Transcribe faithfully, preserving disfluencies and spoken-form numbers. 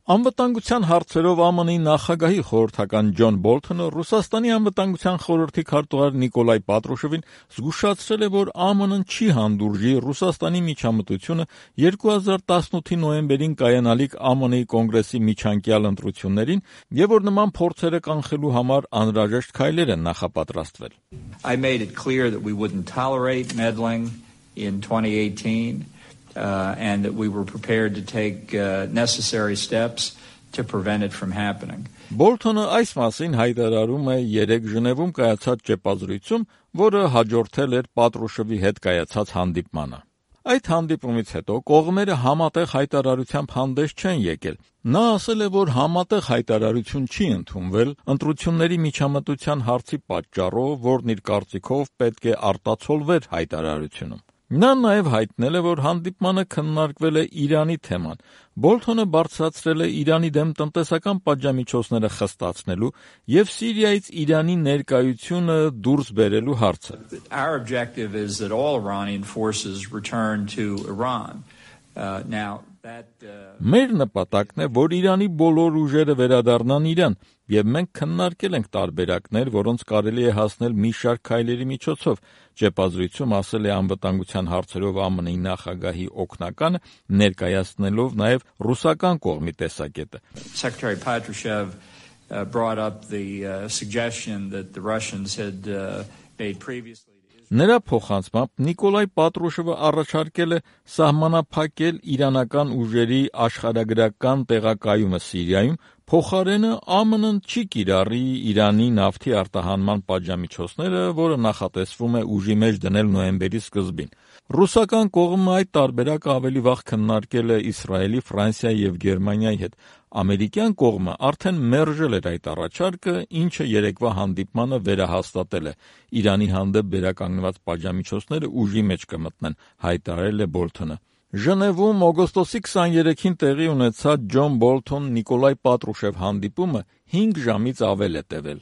Անվտանգության հարցերով Է Մ Ն-ի նախագահի խորհրդական Ջոն Բոլթոնը Ռուսաստանի անվտանգության խորհրդի քարտուղար Նիկոլայ Պատրուշևին զգուշացրել է, որ Է Մ Ն-ն չի հանդուրժի Ռուսաստանի միջամտությունը երկու հազար տասնութի նոյեմբերին կայանալիք Է Մ Ն-ի կոնգրեսի միջանկյալ ընտրություններին եւ որ նման փորձերը կանխելու համար անհրաժեշտ քայլեր են նախապատրաստվել. I made it clear that we wouldn't tolerate meddling in twenty eighteen. Uh, and that we were prepared to take uh, necessary steps to prevent it from happening. Բոլթոնը այս մասին հայտարարում է երեկ Ժնևում կայացած ճեպազրույցում, որը հաջորդել էր Պատրուշևի հետ կայացած հանդիպմանը. Այդ հանդիպումից հետո կողմերը համատեղ հայտարարությամբ հանդես չեն եկել. Նա ասել է, որ համատեղ հայտարարություն չի ընդունվել ընտրությունների միջամտության հարցի պատճառով, որն իր կարծիքով պետք է արտացոլվեր հայտարարությունում. Նա նաև հայտնել է, որ հանդիպմանը քննարկվել է Իրանի թեման. Բոլթոնը բարձրացրել է Իրանի դեմ տնտեսական պատժամիջոցները խստացնելու եւ Սիրիայից Իրանի ներկայությունը դուրս բերելու հարցը. Our objective is that all Iranian forces return to Iran. Uh, now that uh... Մեր նպատակն է, որ Իրանի բոլոր ուժերը վերադառնան Իրան, եւ մենք քննարկել ենք տարբերակներ, որոնց կարելի է հասնել մի շարք քայլերի միջոցով, ճեպազրույցում ասել է անվտանգության հարցերով Է Մ Ն-ի նախագահի օգնականը, ներկայացնելով նաեւ ռուսական կողմի տեսակետը. Secretary Patrushev uh, brought up the uh, suggestion that the Russians had uh, made previously. Նրա փոխանցմամբ Նիկոլայ Պատրուշևը առաջարկել է սահմանափակել իրանական ուժերի աշխարհագրական տեղակայումը Սիրիայում, փոխարենը Է Մ Ն-ն չի կիրառի Իրանի նավթի արտահանման պատժամիջոցները, որը նախատեսվում է ուժի մեջ դնել նոյեմբերի սկզբին. Ռուսական կողմը այդ տարբերակը ավելի վաղ քննարկել է Իսրայելի, Ֆրանսիայի եւ Գերմանիայի հետ. Ամերիկյան կողմը արդեն մերժել էր այդ առաջարկը, ինչը երեկվա հանդիպմանը վերահաստատել է. Իրանի հանդեպ վերականգնված պատժամիջոցները ուժի մեջ կմտնեն, հայտարարել է Բոլթոնը. Ժնևում օգոստոսի քսաներեքին տեղի ունեցած Ջոն Բոլթոն-Նիկոլայ Պատրուշև հանդիպումը հինգ ժամից ավել է տևել.